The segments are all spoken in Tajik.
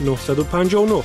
959.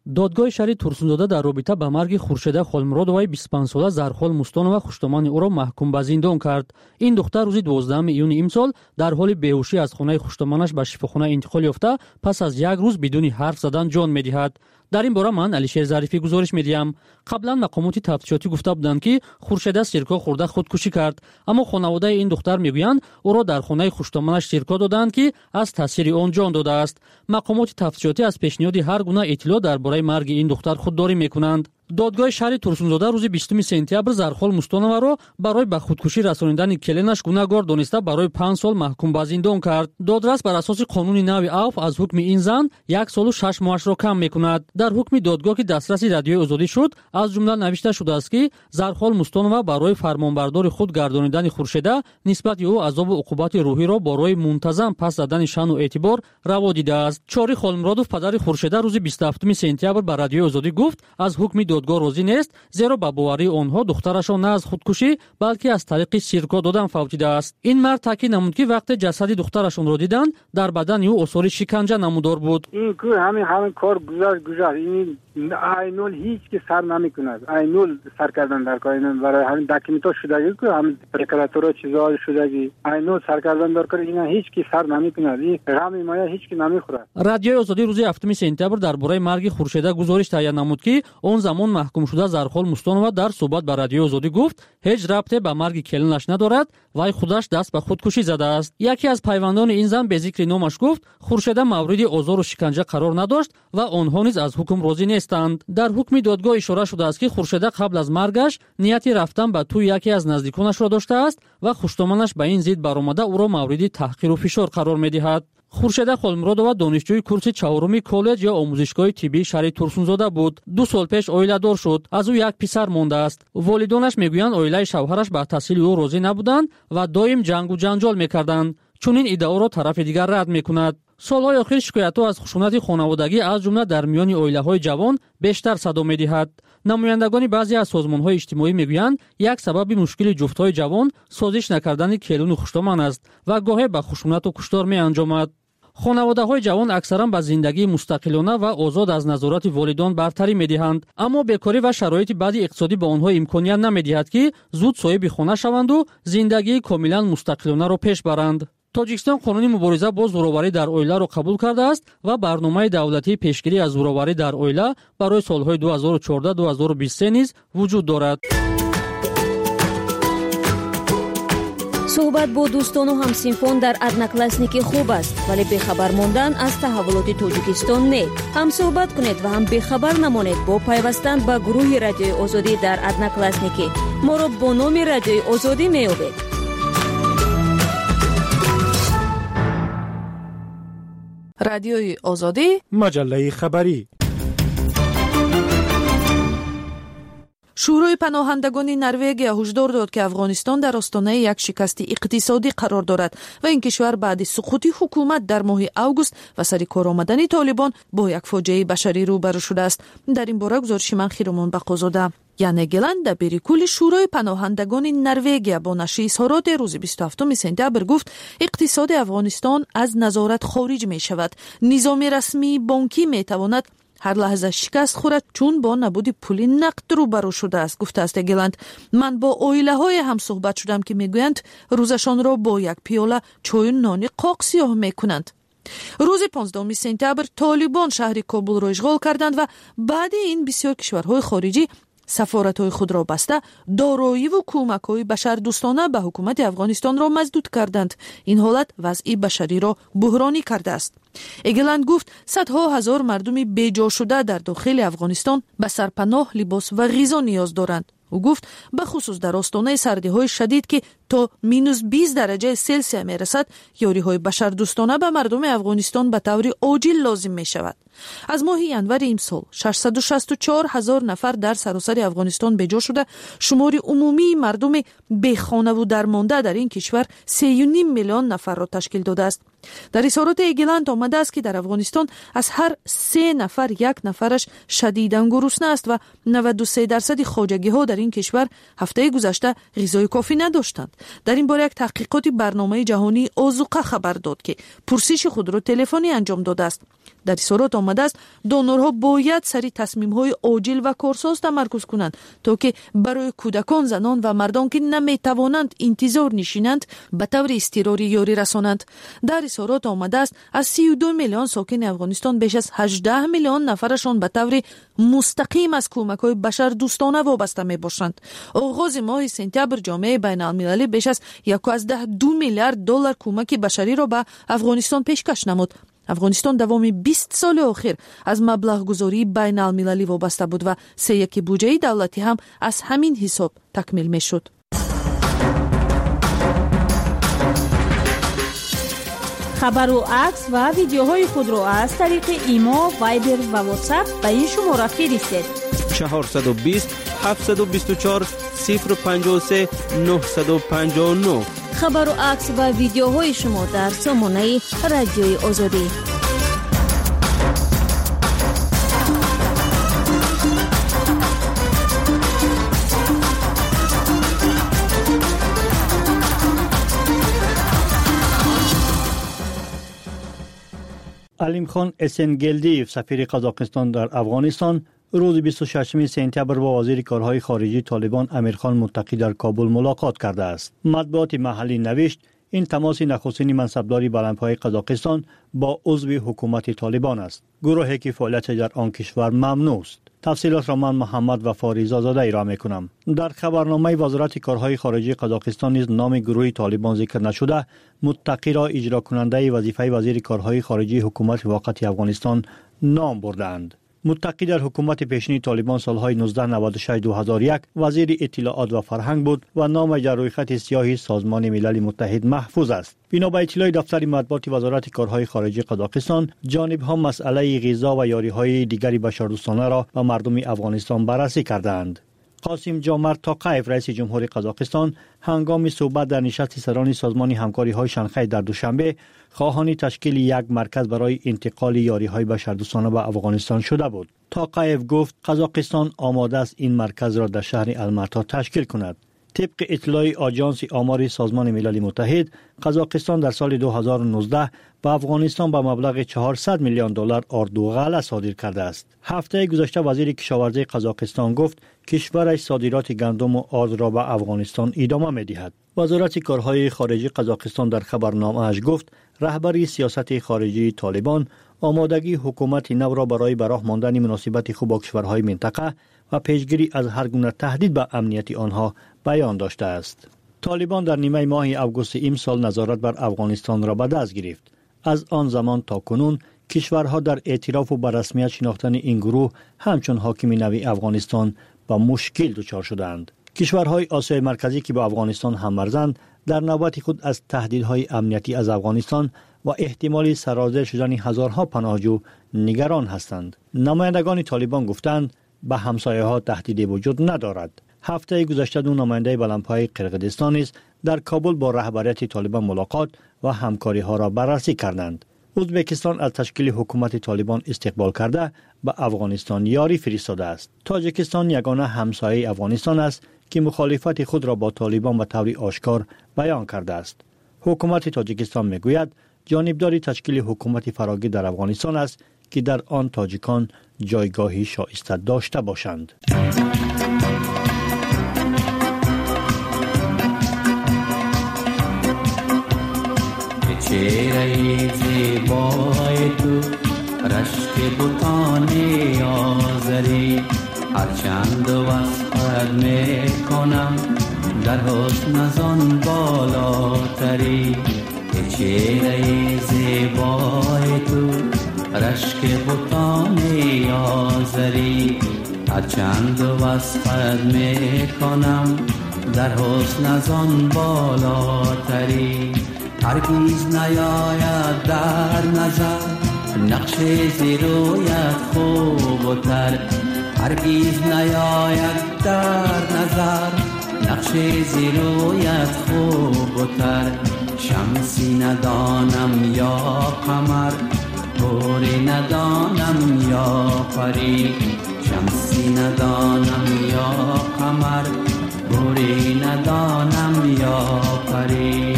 Додгоҳи шаҳри Турсунзода дар робита ба марги Хуршеда Холмуродоваи 25сола Зархол Мустонова хуштомани ӯро маҳкум ба зиндон кард. Ин духтар рӯзи 12 июни имсол дар ҳоли беҳушӣ аз хонаи хуштоманаш ба шифохона интиқол ёфта, пас аз як рӯз бидуни ҳарф задан ҷон медиҳад. Дар ин бора ман Алишер Зарифӣ гузориш медиҳам. Қаблан мақомоти тафтишотӣ гуфта буданд, ки Хуршеда сирко хӯрда худкушӣ кард, аммо хонаводаи ин духтар мегӯянд, ӯро дар хонаи хуштоманаш сирко додаанд, ки аз таъсири он ҷон додааст. Мақомоти тафтишотӣ аз пешниҳоди ҳар гуна иттилоъ дар бораи марги ин духтар худдорӣ мекунанд. Додгоҳи шаҳри Турсунзода рӯзи 20 сентябр Зархол Мустоноваро барои ба худкушӣ расонидани келинаш гунаҳгор дониста барои 5 сол маҳкум ба зиндон кард. Додрас бар асоси қонуни нави авф аз ҳукми ин зан 1 солу 6 моҳашро кам мекунад. Дар ҳукми додгоҳ, ки дастраси Радиои Озодӣ шуд, аз ҷумла навишта шудааст, ки Зархол Мустонова барои фармонбардори худ гардонидани Хуршеда нисбати ӯ азобу уқубати рӯҳиро барои мунтазам пас задани шаъну эътибор раво дидааст. Чори Холмуродов, падари Хуршеда, рӯзи 27 сентябр ба Радиои Озодӣ гуфт, аз ҳукми додгоҳ розӣ нест, зеро ба боварии онҳо духтарашон на аз худкушӣ, балки аз тариқи сирко додан фавтидааст. Ин мард таъкид намуд, ки вақте ҷасади духтарашонро диданд, дар бадани ӯ осори шиканҷа намудор буд. Ин ку ҳамин кор гузашт, гузашт. Ин айнул ҳеҷ ки сар намекунад. Айнул сар кардан дар кор, ин барои ҳамин документҳо шудагӣ ку, ҳамин прокуратура чизҳо шудагӣ. Айнул сар кардан дар кор, ина ҳеҷ ки сар намекунад. Ин ғами моя ҳеҷ ки намехӯрад. Радиои Озодӣ рӯзи 7 сентябр дар бораи марги Хуршеда гузориш таҳия намуд, ки он замон маҳкумшуда Зархол Мустонова дар суҳбат ба Радиои Озодӣ гуфт, ҳеҷ рабте ба марги келинаш надорад, вай худаш даст ба худкушӣ задааст. Яке аз пайвандони ин зан бе зикри номаш гуфт, Хуршеда мавриди озору шиканҷа қарор надошт ва онҳо низ аз ҳукм розӣ нестанд. Дар ҳукми додгоҳ ишора шудааст, ки Хуршеда қабл аз маргаш нияти рафтан ба тӯи яке аз наздиконашро доштааст ва хуштоманаш ба ин зид баромада ӯро мавриди таҳқиру фишор қарор медиҳад. Хуршеда Холмуродова донишҷӯи курси 4-уми коллеҷ ё омӯзишгоҳи тиббии шаҳри Турсунзода буд. 2 сол пеш оиладор шуд. Аз ӯ як писар мондааст. Волидонаш мегӯянд, оилаи шавҳараш ба таҳсили ӯ розӣ набуданд ва доим ҷангу ҷанҷол мекарданд. Чунин иддаоро тарафи дигар рад мекунад. Солҳои охир шикоятҳо аз хушунати хонаводагӣ аз ҷумла дар миёни оилаҳои ҷавон бештар садо медиҳад. Намояндагони баъзе аз созмонҳои иҷтимоӣ мегӯянд, як сабаби мушкили ҷуфтҳои ҷавон созиш накардани келуну хуштоман аст ва гоҳе ба хушунату куштор меанҷомад. Хонаводаҳои ҷавон аксаран ба зиндагии мустақилона ва озод аз назорати волидон бартарӣ медиҳанд, аммо бекорӣ ва шароити баъди иқтисодӣ ба онҳо имконият намедиҳад, ки зуд соҳиби хона шаванду зиндагии комилан мустақилонаро пеш баранд. Тоҷикистон қонуни мубориза бо зӯроварӣ дар оиларо қабул кардааст ва барномаи давлатии пешгирӣ аз зӯроварӣ дар оила барои солҳои 2014-2023 низ вуҷуд дорад. Суҳбат бо дӯстону ҳамсинфон дар Одноклассники хуб аст, вале бехабар мондан аз таҳаввулоти Тоҷикистон не. Ҳам суҳбат кунед ва ҳам бехабар намонед бо пайвастан ба гурӯҳи Радиои Озодӣ дар Одноклассники. Моро бо номи Радиои Озодӣ меёбед. Радиои Озодӣ, маҷаллаи хабарӣ. Шӯрои паноҳандагони Норвегия ҳушдор дод, ки Афғонистон дар остонаи як шикасти иқтисодӣ қарор дорад ва ин кишвар баъди суқути ҳукумат дар моҳи август ва сари кор омадани Толибон бо як фоҷиаи башарӣ рӯбарӯ шудааст. Дар ин бора гузориши ман Хиромон Бақозода. Яне Геланд, дабири кулли Шӯрои паноҳандагони Норвегия, бо нашри изҳороте рӯзи 27 сентябр гуфт, иқтисоди Афғонистон аз назорат хориҷ мешавад. Низоми расмии бонкӣ метавонад ҳар лаҳза шикаст хӯрад, чун бо набуди пули нақд рӯбарӯ шудааст, гуфтааст Эгеланд. Ман бо оилаҳое ҳам суҳбат шудам, ки мегӯянд рӯзашонро бо як пиёла чою нони қоқ сиёҳ мекунанд. Рӯзи 15 сентябр Толибон шаҳри Кобулро ишғол карданд ва баъди ин бисёр кишварҳои хориҷӣ сафоратҳои худро баста, дороиву кӯмакҳои башардӯстона ба ҳукумати Афғонистонро маздуд карданд. Ин ҳолат вазъи башариро буҳронӣ кардааст. Эгеланд гуфт, садҳо ҳазор мардуми беҷошуда дар дохили Афғонистон ба сарпаноҳ, либос ва ғизо ниёз доранд. Ӯ гуфт, бахусус дар остонаи сардиҳои шадид, ки то минус 20 дараҷаи Селсия мерасад, ёриҳои башардӯстона ба мардуми Афғонистон ба таври оҷил лозим мешавад. Аз моҳи январи имсол 664 ҳазор нафар дар саросари Афғонистон беҷо шуда, шумори умумии мардуми бехонаву дармонда дар ин кишвар 3,5 миллион нафарро ташкил додааст. Дар изҳороти Эгеланд омадааст, ки дар Афғонистон аз ҳар 3 нафар як нафараш шадидан гурусна аст ва 93% хоҷагиҳо дар ин кишвар ҳафтаи гузашта ғизои кофӣ надоштанд. Дар ин бора як таҳқиқоти барномаи ҷаҳонии озуқа хабар дод, ки пурсиши худро телефонӣ анҷом додааст. Дар изҳорот омадааст, донорҳо бояд сари тасмимҳои оҷил ва корсоз тамаркуз кунанд, то ки барои кӯдакон, занон ва мардон, ки наметавонанд интизор нишинанд, ба таври изтирорӣ ёрӣ расонанд. Дар изҳорот омадааст, аз 32 миллион сокини Афғонистон беш аз 18 миллион нафарашон ба таври мустақим аз кӯмакҳои башардӯстона вобаста мебошанд. Оғози моҳи сентябр ҷомеаи байналмилалӣ беш аз 1,2 миллиард доллар кӯмаки башариро ба Афғонистон пешкаш намуд. Афғонистон давоми 20 соли охир аз маблағгузории байналмилалӣ вобаста буд ва сеяки буҷаи давлатӣ ҳам аз ҳамин ҳисоб такмил мешуд. Хабару акс ва видеоҳои худро аз тариқи Имо, Вайбер ва Ватсап ба ин шумора фиристед: 420 724 053 959. Хабару акс ва видеоҳои шумо дар сомонаи Радиои Озодӣ. Алимхон Эсенгелдиев, сафири Қазоқистон дар Афғонистон, рӯзи 26 сентябр бо вазири корҳои хориҷии Толибон Амирхон Муттақӣ дар Кобул мулоқот кардааст. Матбуоти маҳаллӣ навишт, ин тамоси нахустини мансабдори баландпояи Қазоқистон бо узви ҳукумати Толибон аст, гурӯҳе ки фаъолияташ дар он кишвар мамнӯъ аст. Тафсилотро ман Муҳаммад Вафо Ризозода ироа мекунам. Дар хабарномаи Вазорати корҳои хориҷии Қазоқистон низ номи гурӯҳи Толибон зикр нашуда, Муттақиро иҷрокунандаи вазифаи вазири корҳои хориҷии ҳукумати воқати Афғонистон ном бурдаанд. Муттақӣ дар ҳукумати пешини Толибон солҳои 1996-2001 вазири иттилоот ва фарҳанг буд ва номаш дар рӯйхати сиёҳи Созмони Милали Муттаҳид маҳфуз аст. Бино ба иттилои дафтари матбуоти Вазорати корҳои хориҷии Қазоқистон, ҷонибҳо масъалаи ғизо ва ёриҳои дигари башардӯстонаро ба мардуми Афғонистон баррасӣ кардаанд. Қосим Ҷомарт Тоқаев, раиси ҷумҳури Қазоқистон, ҳангоми суҳбат дар нишасти сарони Созмони ҳамкориҳои Шанхай дар Душанбе хоҳони ташкили як марказ барои интиқоли ёриҳои башардӯстона ба Афғонистон шуда буд. Тоқаев гуфт, Қазоқистон омода аст ин марказро дар шаҳри Алмато ташкил кунад. Тибқи иттилои Оҷонси омори Созмони Милали Муттаҳид, Қазоқистон дар соли 2019 ба Афғонистон ба маблағи 400 миллион доллар орду ғалла содир кардааст. Ҳафтаи гузашта вазири кишоварзии Қазоқистон гуфт, кишвараш содироти гандуму ордро ба Афғонистон идома медиҳад. Вазорати корҳои хориҷии Қазоқистон дар хабарномааш гуфт, раҳбари сиёсати хориҷии Толибон омодагии ҳукумати навро барои ба роҳ мондани муносибати хуб бо кишварҳои минтақа ва пешгирӣ аз ҳар гуна таҳдид ба амнияти онҳо баён доштааст. Толибон дар нимаи моҳи августи имсол назорат бар Афғонистонро ба даст гирифт. Аз он замон то кунун кишварҳо дар эътирофу ба расмият шинохтани ин гурӯҳ ҳамчун ҳокими нави Афғонистон ба мушкил дучор шудаанд. Кишварҳои Осиёи Марказӣ, ки бо Афғонистон ҳаммарзанд, дар навбати худ аз таҳдидҳои амниятӣ аз Афғонистон ва эҳтимоли сарозер шудани ҳазорҳо паноҳҷӯ нигарон ҳастанд. Намояндагони Толибон гуфтанд, ба ҳамсояҳо таҳдиде вуҷуд надорад. Ҳафтаи гузашта ду намояндаи баландпояи Қирғизистон низ дар Кобул бо раҳбарияти Толибон мулоқот ва ҳамкориҳоро баррасӣ карданд. Ӯзбекистон аз ташкили ҳукумати Толибон истиқбол карда, ба Афғонистон ёрӣ фиристодааст. Тоҷикистон ягона ҳамсояи Афғонистон аст, ки мухолифати худро бо Толибон ба таври ошкор баён кардааст. Ҳукумати Тоҷикистон мегӯяд, ҷонибдори ташкили ҳукумати фарогир дар Афғонистон аст, ки дар он тоҷикон ҷойгоҳи шоиста дошта бошанд. Чеҳраи зебои ту рашки бутони озарӣ, ҳарчанд васфат мекунам, дар ҳусн аз он болотарӣ. Чеҳраи зебои ту рашки бутони озарӣ, ҳарчанд васфат мекунам, дар ҳусн аз он болотарӣ. Ҳаргиз наёяд дар назар нақши зерӯят хубтар, ҳаргиз наёяд дар назар нақши зерӯят хубтар. Шамси надонам ё қамар, ҳури надонам ё парӣ, шамси надонам ё қамар, حوری ندانم یا پری.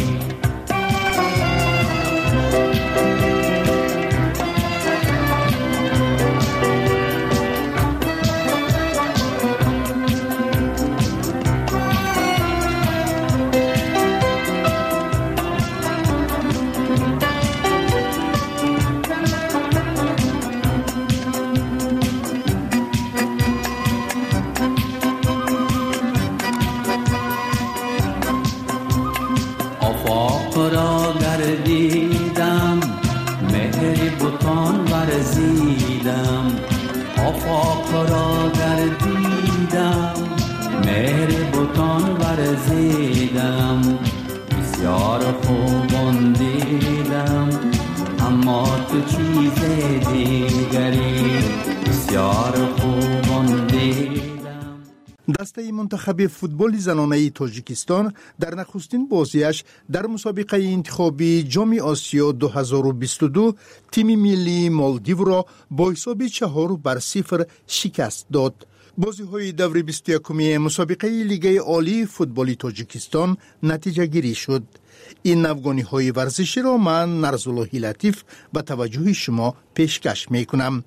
آفاق را گردیدم، مهر بتان ورزیدم، بسیار خوبان دیدم اما تو چیز دیگری، بسیار خوبان دیدم. Дастаи мунтахаби футболи занонаи Тоҷикистон дар нахустин бозиаш дар мусобиқаи интихобии Ҷоми Осиё 2022 тими миллии Молдивро бо ҳисоби 4-0 шикаст дод. Бозиҳои даври 21-уми мусобиқаи Лигаи олии футболи Тоҷикистон натиҷагирӣ шуд. Ин навгониҳои варзиширо ман, Нарзуллоҳи Латиф, ба таваҷҷӯҳи шумо пешкаш мекунам.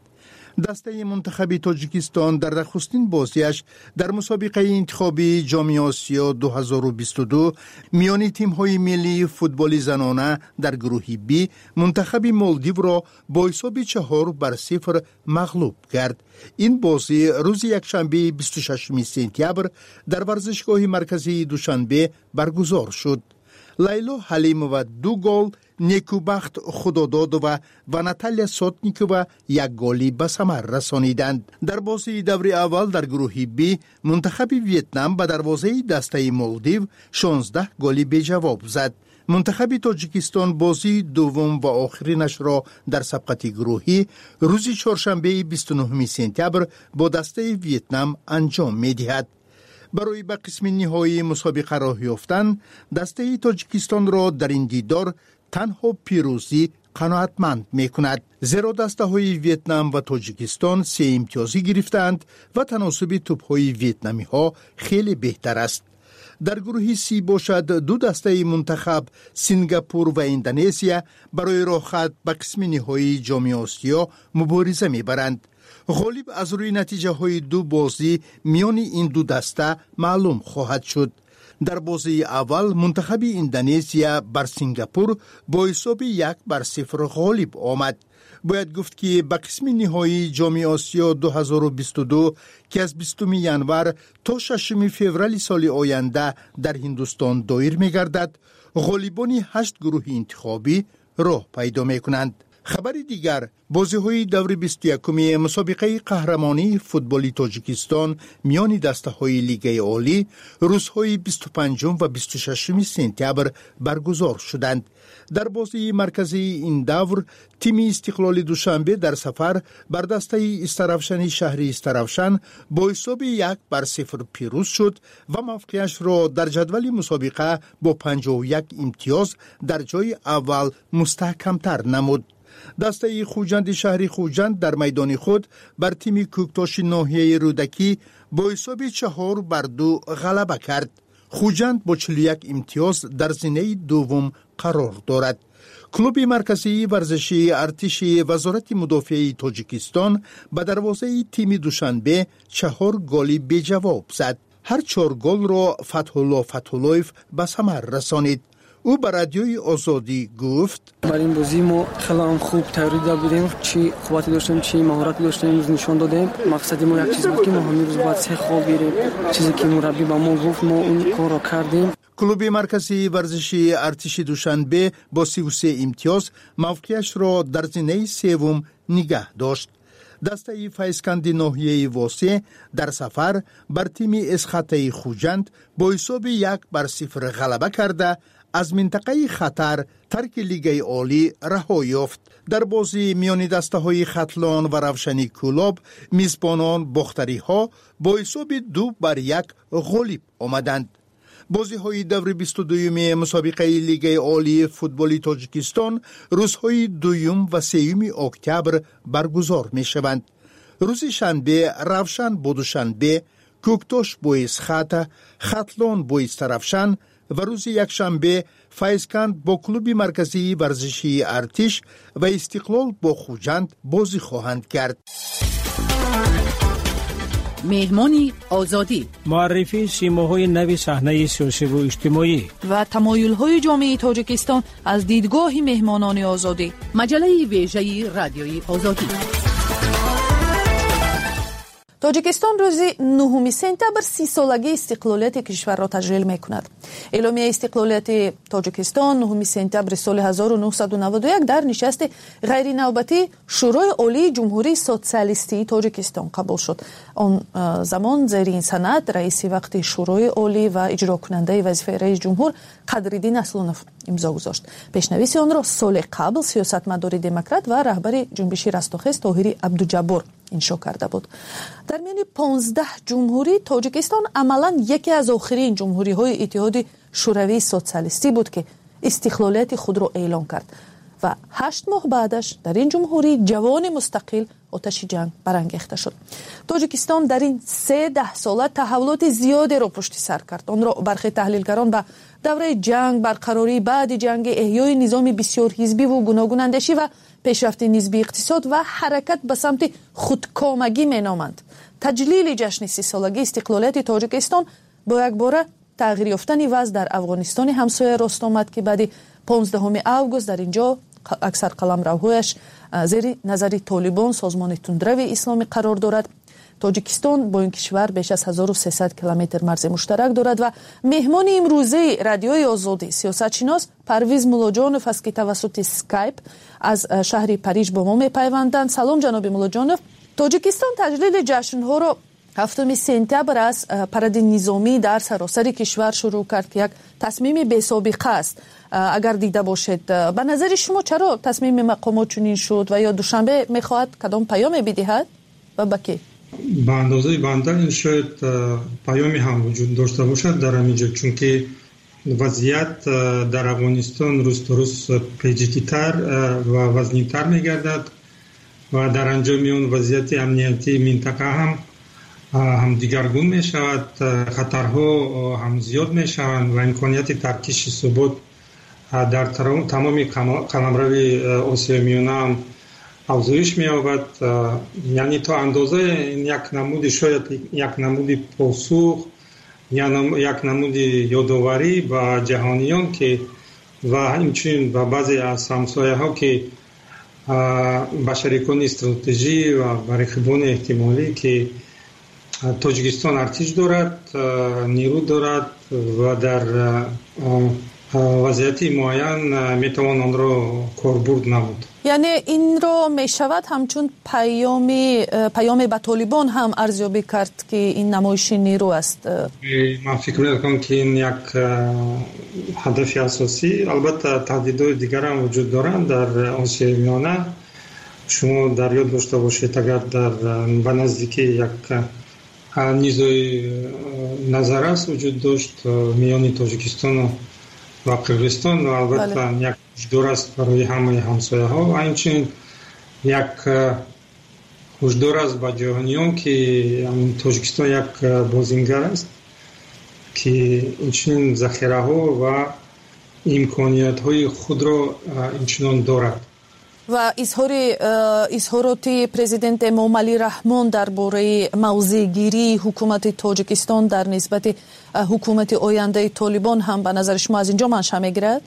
Дастаи мунтахаби Тоҷикистон дар нахустин бозиаш дар мусобиқаи интихобии Ҷоми Осиё 2022 миёни тимҳои миллии футболи занона дар гурӯҳи Б мунтахаби Молдивро бо ҳисоби 4-0 мағлуб кард. Ин бозӣ рӯзи якшанбеи 26 сентябр дар варзишгоҳи марказии Душанбе баргузор шуд. Лайло Ҳалимова ду гол, Некубахт Худододова ва Наталья Сотникова як голӣ ба самар расониданд. Дар бозии даври аввал дар гурӯҳи Б мунтахаби Вьетнам ба дарвозаи дастаи Молдив 16 голи беҷавоб зад. Мунтахаби Тоҷикистон бозии дуввум ва охиринашро дар сабқати гурӯҳӣ рӯзи чоршанбеи 29 сентябр бо дастаи Вьетнам анҷом медиҳад. Барои ба қисми ниҳоии мусобиқа роҳ ёфтан дастаи Тоҷикистонро дар ин дидор танҳо пирӯзӣ қаноатманд мекунад, зеро дастаҳои Вьетнам ва Тоҷикистон се имтиёзӣ гирифтаанд ва таносуби тӯбҳои вьетнамиҳо хеле беҳтар аст. Дар гурӯҳи Си бошад, ду дастаи мунтахаб, Сингапур ва Индонезия, барои роҳхат ба қисми ниҳоии Ҷоми Осиё мубориза мебаранд. Ғолиб аз рӯи натиҷаҳои ду бозӣ миёни ин ду даста маълум хоҳад шуд. Дар бозии аввал мунтахаби Индонезия бар Сингапур бо ҳисоби 1-0 ғолиб омад. Бояд гуфт, ки ба қисми ниҳоии Ҷоми Осиё 2022, ки аз 20 январ то 6 феврали соли оянда дар Ҳиндустон доир мегардад, ғолибони ҳашт гурӯҳи интихобӣ роҳ пайдо мекунанд. Хабари дигар: бозиҳои даври 21-уми мусобиқаи қаҳрамонии футболи Тоҷикистон миёни дастаҳои Лигаи олӣ рӯзҳои 25 ва 26 сентябр баргузор шуданд. Дар бозии марказии ин давр тими Истиқлоли Душанбе дар сафар бар дастаи Истаравшани шаҳри Истаравшан бо ҳисоби 1-0 пирӯз шуд ва мавқеашро дар ҷадвали мусобиқа бо 51 имтиёз дар ҷои аввал мустаҳкамтар намуд. Дастаи Хуҷанди шаҳри Хуҷанд дар майдони худ бар тими Кӯктоши ноҳияи Рӯдакӣ бо ҳисоби 4-2 ғалаба кард. Хуҷанд бо 41 имтиёз дар зинаи дуввум қарор дорад. Клуби марказии варзишии артиши Вазорати мудофиаи Тоҷикистон ба дарвозаи тими Душанбе чаҳор голи беҷавоб зад. Ҳар чор голро Фатҳулло Фатҳуллоев ба самар расонид. Ӯ ба Радиои Озодӣ гуфт: Бар ин бозӣ мо хеле ҳам хуб тайёрӣ дида будем. Чӣ қуввате доштем, чӣ маҳорате доштем, имрӯз нишон додем. Мақсади мо як чиз буд, ки мо ҳамин рӯз бояд се хол гирем. Чизе ки мураббӣ ба мо гуфт, мо он корро кардем. Клуби марказии варзишии артиши Душанбе бо 33 имтиёз мавқеашро дар зинаи севум нигаҳ дошт. Дастаи Файзканди ноҳияи Восе дар сафар бар тими Эсхатаи Хуҷанд бо ҳисоби 1-0 ғалаба карда, аз минтақаи хатар тарки Лигаи олӣ раҳо ёфт. Дар бозии миёни дастаҳои Хатлон ва Равшани Кӯлоб мизбонон бохтариҳо бо ҳисоби 2-1 ғолиб омаданд. Бозиҳои даври 22-юми мусобиқаи Лигаи олии футболи Тоҷикистон рӯзҳои дуюм ва сеюми октябр баргузор мешаванд. Рӯзи шанбе Равшан бо Душанбе, Кӯктош бо Эсхата, Хатлон бо Истаравшан ва рӯзи якшанбе Файзканд бо клуби марказии варзишии Артиш ва Истиқлол бо Хуҷанд бозӣ хоҳанд кард. Меҳмони Озодӣ. Муаррифии симоҳои нави саҳнаи сиёсиву иҷтимоӣ ва тамоюлҳои ҷомеаи Тоҷикистон аз дидгоҳи меҳмонони Озодӣ. Маҷаллаи вежаи Радиои Озодӣ. Тоҷикистон рӯзи 9 сентябр 30-солагии истиқлолияти кишварро таҷлил мекунад. Эъломияи истиқлолияти Тоҷикистон 9 сентябри соли 1991 дар нишасти ғайринавбатии Шӯрои Олии Ҷумҳурии Социалистии Тоҷикистон қабул шуд. Он замон зери ин санад раиси вақти Шӯрои Олӣ ва иҷрокунандаи вазифаи раис ҷумҳур Қадриддин Аслонов имзо гузошт. Пешнависи онро соли қабл сиёсатмадори демократ ва раҳбари ҷунбиши Растохез Тоҳири Абдуҷаббор иншо карда буд. Дар миёни 15 ҷумҳурӣ Тоҷикистон амалан яке аз охирин ҷумҳуриҳои Иттиҳоди Шӯравии Социалистӣ буд, ки истиқлолияти худро эълон кард ва 8 моҳ баъдаш дар ин ҷумҳурии ҷавони мустақил оташи ҷанг барангехта шуд. Тоҷикистон дар ин се даҳсола таҳаввулоти зиёдеро пушти сар кард. Онро бархе таҳлилгарон ба давраи ҷанг, барқарории баъди ҷанги, эҳёи низоми бисёрҳизбиву гуногунандешӣ ва пешрафти нисбии иқтисод ва ҳаракат ба самти худкомагӣ меноманд. Таҷлили ҷашни 30-солагии истиқлолияти Тоҷикистон бо якбора тағйир ёфтани вазъ дар Афғонистони ҳамсоя рост омад, ки баъди 15 август дар ин ҷо аксар қаламравҳояш зери назари Толибон, созмони тундрави исломӣ, қарор дорад. Тоҷикистон бо ин кишвар беш аз 1300 километр марзи муштарак дорад ва меҳмони имрӯзаи Радиои Озодӣ сиёсатшинос Парвиз Муллоҷонов аст, ки тавассути Скайп аз шаҳри Париж бо мо мепайванданд. Салом, ҷаноби Муллоҷонов. Тоҷикистон таҷлили ҷашнҳоро 7 сентябр аз паради низомӣ дар саросари кишвар шурӯъ кард, ки як тасмими бесобиқа аст. Агар дида бошед, ба назари шумо чаро тасмими мақомот чунин шуд ва ё Душанбе мехоҳад кадом паёме бидиҳад ва ба кӣ? Ба андозаи банда ин шояд паёме ҳам вуҷуд дошта бошад дар ҳамин ҷо, чунки вазъият дар Афғонистон рӯз то рӯз печидитар ва вазнинтар мегардад ва дар анҷоми он вазъияти амниятии минтақа ҳам дигаргун мешавад, хатарҳо ҳам зиёд мешаванд ва имконияти таркиши субот дар тамоми қаламрави Осиёи Миёна ҳам афзоиш меёбад. Яъне то андозае ин як намуди, шояд як намуди посух, як намуди ёдоварӣ ба ҷаҳониён ки ва инчунин ба баъзе аз ҳамсояҳо, ки ба шарикони стратежӣ ва ба рақибони эҳтимолӣ, ки Тоҷикистон артиш дорад, нерӯ дорад ва дар вазъияти муайян метавон онро корбурд намуд. Яъне инро мешавад ҳамчун паёме ба Толибон ҳам арзёбӣ кард, ки ин намоиши нерӯ аст? Ман фикр мекунам, ки ин як ҳадафи асосӣ. Албатта, таҳдидҳои дигар ҳам вуҷуд доранд дар Осиёи Миёна. Шумо дар ёд дошта бошед, агар дар ба наздикӣ як низои назаррас вуҷуд дошт миёни Тоҷикистону ва Қирғизистон ва албатта як ҳушдор аст барои ҳамаи ҳамсояҳо ва инчунин як ҳушдор аст ба ҷаҳониён, ки Тоҷикистон як бозингар аст, ки инчунин захираҳо ва имкониятҳои худро инчунон дорад. Ва изҳороти президент Эмомалӣ Раҳмон дар бораи мавзеъгирии ҳукумати Тоҷикистон дар нисбати ҳукумати ояндаи Толибон ҳам ба назари шумо аз инҷо манша мегирад?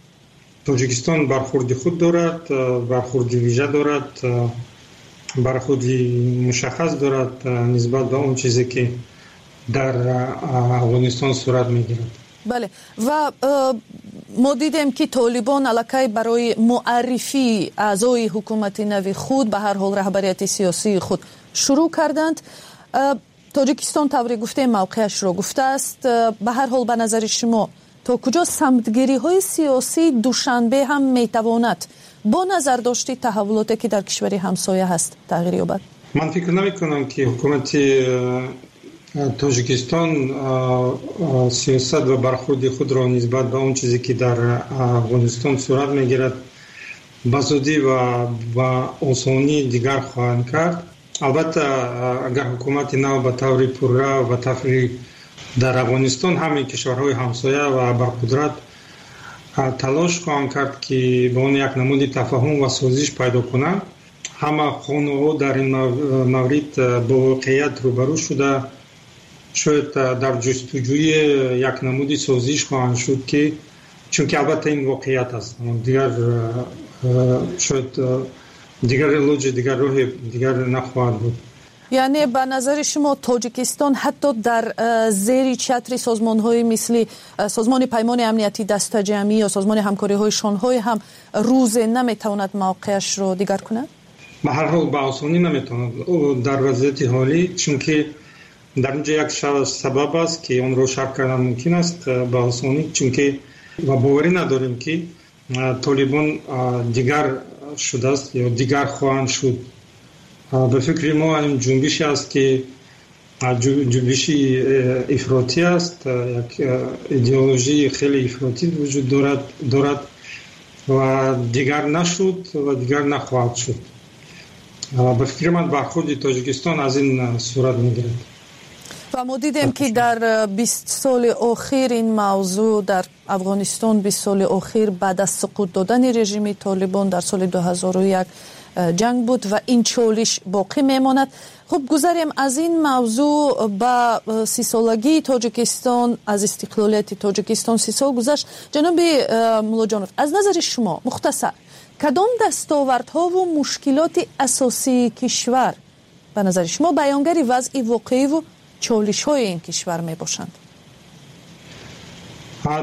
Тоҷикистон бархурди худ дорад, бархурди вижа дорад, бархурди мушаххас дорад нисбат ба он чизе, ки дар Афғонистон сурат мегирад. Бале, ва мо дидем, ки Толибон аллакай барои муаррифии аъзои ҳукумати нави худ, ба ҳар ҳол раҳбарияти сиёсии худ, шурӯъ карданд. Тоҷикистон, тавре гуфтем, мавқеашро гуфтааст. Ба ҳар ҳол, ба назари шумо, то куҷо самтгириҳои сиёсии Душанбе ҳам метавонад бо назардошти таҳаввулоте, ки дар кишвари ҳамсоя ҳаст, тағйир ёбад? Ман фикр намекунам, ки ҳукумати Тоҷикистон сиёсат ва бархурди худро нисбат ба он чизе, ки дар Афғонистон сурат мегирад, ба зудӣ ва ба осонӣ дигар хоҳанд кард. Албатта, агар ҳукумати нав ба таври пурра ва таври дар Афғонистон, ҳамаи кишварҳои ҳамсоя ва абарқудрат талош хоҳанд кард, ки ба он як намуди тафаҳум ва созиш пайдо кунанд. Ҳама қонунҳо дар ин маврид бо воқеият рӯбарӯ шуда, шояд дар ҷустуҷӯи як намуди созиш хоҳанд шуд, ки чунки албатта ин воқеият аст, дигар шояд дигар илоҷи дигар, роҳи дигар нахоҳад буд. Яъне ба назари шумо, Тоҷикистон ҳатто дар зери чатри созмонҳои мисли Созмони Паймони Амнияти Дастаҷамъӣ ё Созмони Ҳамкориҳои Шонҳой ҳам рӯзе наметавонад мавқеашро дигар кунад? Ба ҳар ҳол, ба осонӣ наметавонад дар вазъияти ҳолӣ, чунки дар инҷо як сабаб аст, ки онро шарҳ кардан мумкин аст ба осонӣ, чунки ва боварӣ надорем, ки Толибон дигар шудааст ё дигар хоҳанд шуд. Ба фикри мо, ин ҷунбише аст, ки ҷунбиши ифротӣ аст, як идеологияи хеле ифротӣ вуҷуд дорад ва дигар нашуд ва дигар нахоҳад шуд. Ба фикри ман, бархурди Тоҷикистон аз ин сурат мегирад. Ва мо дидем, ки дар 20 соли охир ин мавзӯъ дар Афғонистон, 20 соли охир баъд аз суқут додани режими Толибон дар соли 2001 ҷанг буд ва ин чолиш боқӣ мемонад. Хуб, гузарем аз ин мавзӯъ ба 30-солагии Тоҷикистон. Аз истиқлолияти Тоҷикистон 30 сол гузашт. Ҷаноби Муллоҷонов, аз назари шумо мухтасар, кадом дастовардҳову мушкилоти асосии кишвар ба назари шумо баёнгари вазъи воқеиву чолишҳои ин кишвар мебошанд?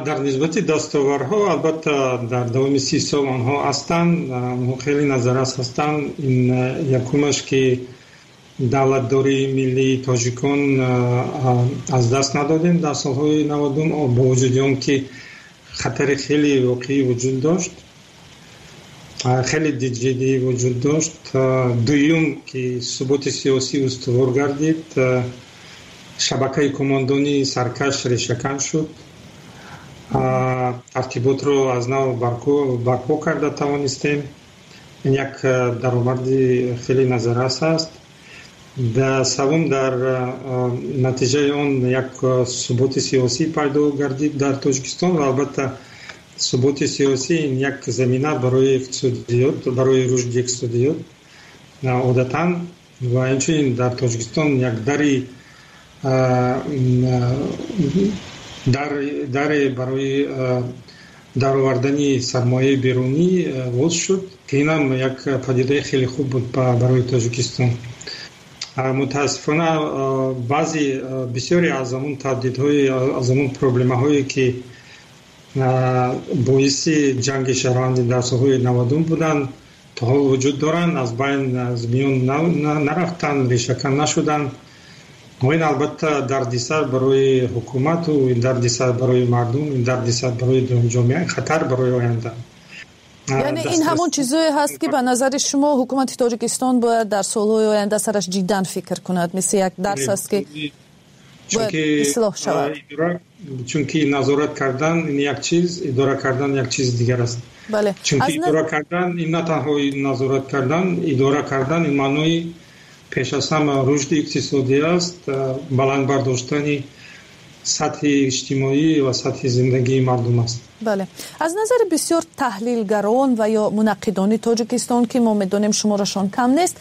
Дар нисбати дастовардҳо, албатта, дар давоми 30 сол онҳо ҳастанд, онҳо хеле назаррас ҳастанд. Ин якумаш, ки давлатдории миллии тоҷикон аз даст надодем дар солҳои 90-ум, бо вуҷуди он ки хатари хеле воқеӣ вуҷуд дошт, хеле ҷиддӣ вуҷуд дошт. Дуюм, ки суботи сиёсӣ устувор гардид, шабакаи командонии саркаш решакан шуд, тартиботро аз нав барпо карда тавонистем. Ин як даромади хеле назаррас аст. Севум, дар натиҷаи он як суботи сиёсӣ пайдо гардид дар Тоҷикистон ва албатта суботи сиёсӣ ин як замина барои иқтисодиёт, барои рушди иқтисодиёт одатан. Ва инчунин дар Тоҷикистон як даре барои даровардани сармояи берунӣ боз шуд, ки инам як падидаи хеле хуб буд барои Тоҷикистон. Мутаассифона, баъзе, бисёре аз ҳамун таҳдидҳои, аз ҳамун проблемаҳое, ки боиси ҷанги шаҳрвандӣ дар солҳои 90-ум буданд, то ҳол вуҷуд доранд, аз байн, аз миён нарафтанд, решакан нашуданд. Ва ин албатта дардисар барои ҳукумату, ин дардисар барои мардум, ин дардисар барои ҷомеа, хатар барои оянда. Яъне ин ҳамон чизое ҳаст, ки ба назари шумо ҳукумати Тоҷикистон бояд дар солҳои оянда сараш ҷиддан фикр кунад, мисли як дарс аст, ки бояд ислоҳ шавад? Чунки назорат кардан ин як чиз, идора кардан як чизи дигар аст. Чунки идора кардан ин на танҳо назорат кардан, идора кардан ин маънои пеш аз ҳама рушди иқтисодӣ аст, баланд бардоштани сатҳи иҷтимоӣ ва сатҳи зиндагии мардум аст. Бале, аз назари бисёр таҳлилгарон ва ё мунаққидони Тоҷикистон, ки мо медонем, шуморашон кам нест,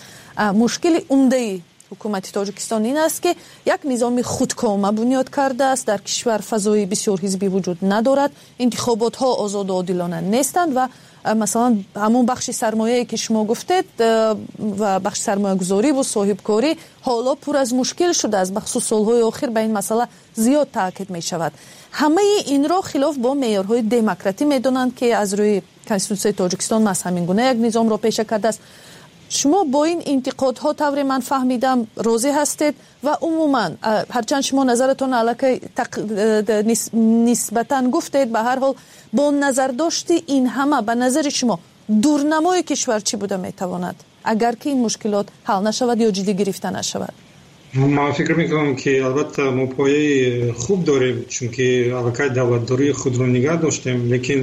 мушкили умдаи ҳукумати Тоҷикистон ин аст, ки як низоми худкома бунёд кардааст. Дар кишвар фазои бисёрҳизбӣ вуҷуд надорад, интихоботҳо озоду одилона нестанд ва масалан ҳамон бахши сармояе, ки шумо гуфтед, ва бахши сармоягузорӣ ву соҳибкорӣ ҳоло пур аз мушкил шудааст. Бахусус солҳои охир ба ин масъала зиёд таъкид мешавад. Ҳамаи инро хилоф бо меъёрҳои демократӣ медонанд, ки аз рӯи Конститутсияи Тоҷикистон маҳз ҳамин гуна як низомро пеша кардааст. Шумо бо ин интиқодҳо, тавре ман фаҳмидам, розӣ ҳастед? Ва умуман, ҳарчанд шумо назаратон аллакай нисбатан гуфтед, ба ҳар ҳол, бо назардошти ин ҳама, ба назари шумо дурнамои кишвар чӣ буда метавонад, агар ки ин мушкилот ҳал нашавад ё ҷиддӣ гирифта нашавад? Ман фикр мекунам, ки албатта мо пояи хуб дорем, чунки аллакай давлатдории худро нигаҳ доштем, лекин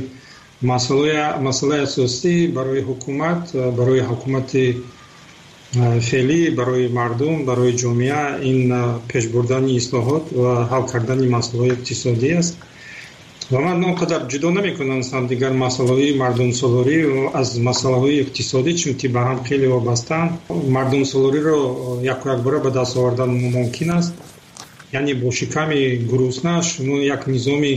масъалаи асосӣ барои ҳукумат, барои ҳукумати Феълӣ барои мардум, барои ҷомеа ин пешбурдани ислоҳот ва ҳал кардани масъалаҳои иқтисодӣ аст. Ва ман он қадар ҷудо намекунам дигар масъалаҳои мардумсолорӣ аз масъалаҳои иқтисодӣ, чунки ба ҳам хеле вобастаанд. Мардумсолориро яку якбора ба даст овардан мумкин аст. Яъне бо шиками гурусна шумо як низоми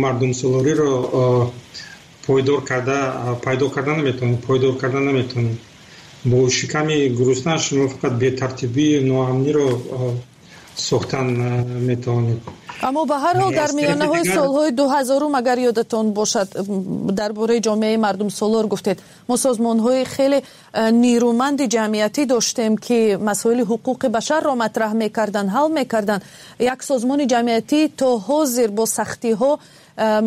мардумсолориро пойдор карда пайдо карда наметавонед, пойдор карда наметавонед. Бо шиками гурусна шумо фақат бетартибӣ, ноамниро сохтан метавонед. Аммо ба ҳар ҳол дар миёнаҳои солҳои 2000, агар ёдатон бошад, дар бораи ҷомеаи мардумсолор гуфтед, мо созмонҳои хеле нерӯманди ҷамъиятӣ доштем, ки масоили ҳуқуқи башарро матраҳ мекарданд, ҳал мекарданд. Як созмони ҷамъиятӣ то ҳозир бо сахтиҳо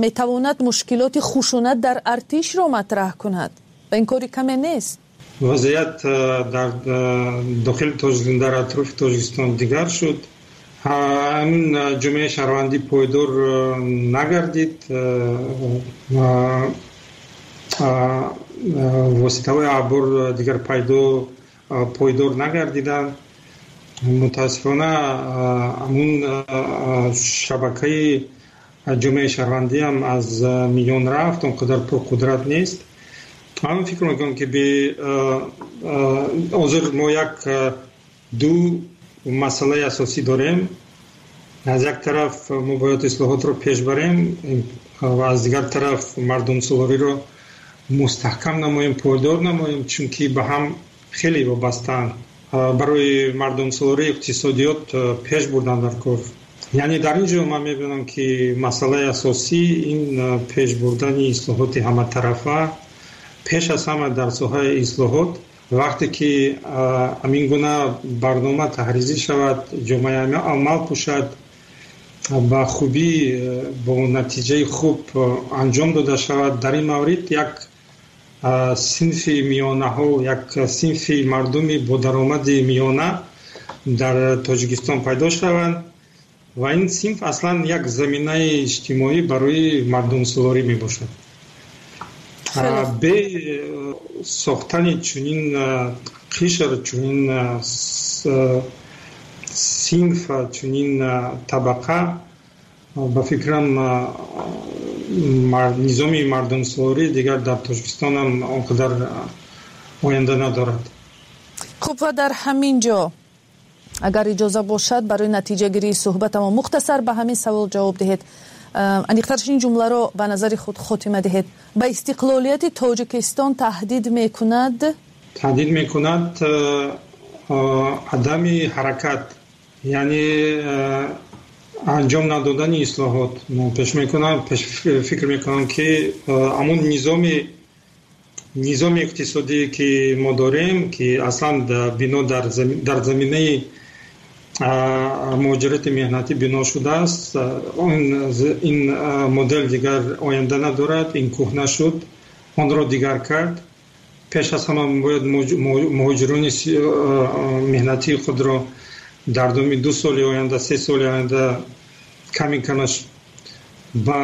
метавонад мушкилоти хушунат дар артишро матраҳ кунад ва ин кори каме нест. Вазъият дар дохили Тоҷикистон, дар атрофи Тоҷикистон дигар шуд. Ҳамин ҷомеаи шаҳрвандӣ пойдор нагардид. Воситаҳои ахбор дигар пойдор нагардиданд. Мутаассифона, ҳамун шабакаи ҷомеаи шаҳрвандӣ ҳам аз миён рафт, он қадар пурқудрат нест. Ман фикр мекунам, ки ҳозир мо як ду масъалаи асосӣ дорем. Аз як тараф мо бояд ислоҳотро пеш барем ва аз дигар тараф мардумсолориро мустаҳкам намоем, пойдор намоем, чунки ба ҳам хеле вобастаанд. Барои мардумсолорӣ иқтисодиёт пеш бурдан дар кор. Яъне дар ин ҷо ман мебинам, ки масъалаи асосӣ ин пеш бурдани ислоҳоти ҳаматарафа, пеш аз ҳама дар соҳаи ислоҳот. Вақте ки ҳамин гуна барнома таҳризӣ шавад, ҷомеаи амал пӯшад, ба хубӣ, бо натиҷаи хуб анҷом дода шавад, дар ин маврид як синфи миёнаҳол, як синфи мардуми бо даромади миёна дар Тоҷикистон пайдо шаванд ва ин синф аслан як заминаи иҷтимоӣ барои мардумсолорӣ мебошад. Бе сохтани чунин қишр, чунин синф, чунин табақа, ба фикрам, низоми мардумсолорӣ дигар дар Тоҷикистон ҳам он қадар оянда надорад. Хуб, ва дар ҳамин ҷо, агар иҷоза бошад, барои натиҷагирии суҳбатамо мухтасар ба ҳамин савол ҷавоб диҳед, аниқтарш ин ҷумларо ба назари худ хотима диҳед: ба истиқлолияти Тоҷикистон таҳдид мекунад? Таҳдид мекунад адами ҳаракат, яъне анҷом надодани ислоҳот. Пеш мекунам, пеш фикр мекунам, ки ҳамун низоми иқтисодие, ки мо дорем, ки аслан бино дар заминаи муҳоҷирати меҳнатӣ бино шудааст, ин модел дигар оянда надорад, ин кӯҳна шуд, онро дигар кард. Пеш аз ҳама бояд муҳоҷирони меҳнатии худро дар давоми 2 соли оянда, 3 соли оянда ками камаш ба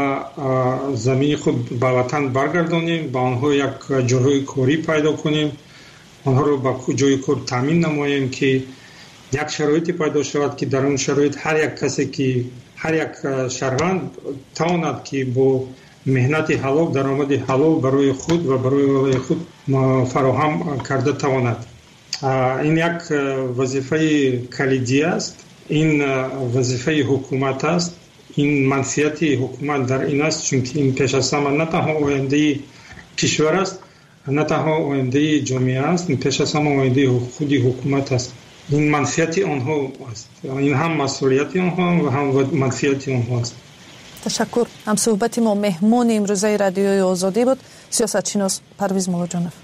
замини худ, ба ватан баргардонем, ба онҳо як ҷойҳои корӣ пайдо кунем, онҳоро ба ҷои кор таъмин намоем, ки як шароите пайдо шавад, ки дар он шароит ҳар як касе, ки ҳар як шаҳрванд тавонад, ки бо меҳнати ҳалол даромади ҳалол барои худ ва барои оилаи худ фароҳам карда тавонад. Ин як вазифаи калидӣ аст, ин вазифаи ҳукумат аст, ин манфиати ҳукумат дар ин аст, чунки ин пеш аз ҳама на танҳо ояндаи кишвар аст, на танҳо ояндаи ҷомеа аст, ин пеш аз ҳама ояндаи худи ҳукумат аст. Ин манфиати онҳо аст, ин ҳам масъулияти онҳо ва ҳам манфиати онҳо аст. Ташаккур. Ҳамсӯҳбати мо, меҳмони имрӯзаи Радиои Озодӣ буд сиёсатшинос Парвиз Муллоҷонов.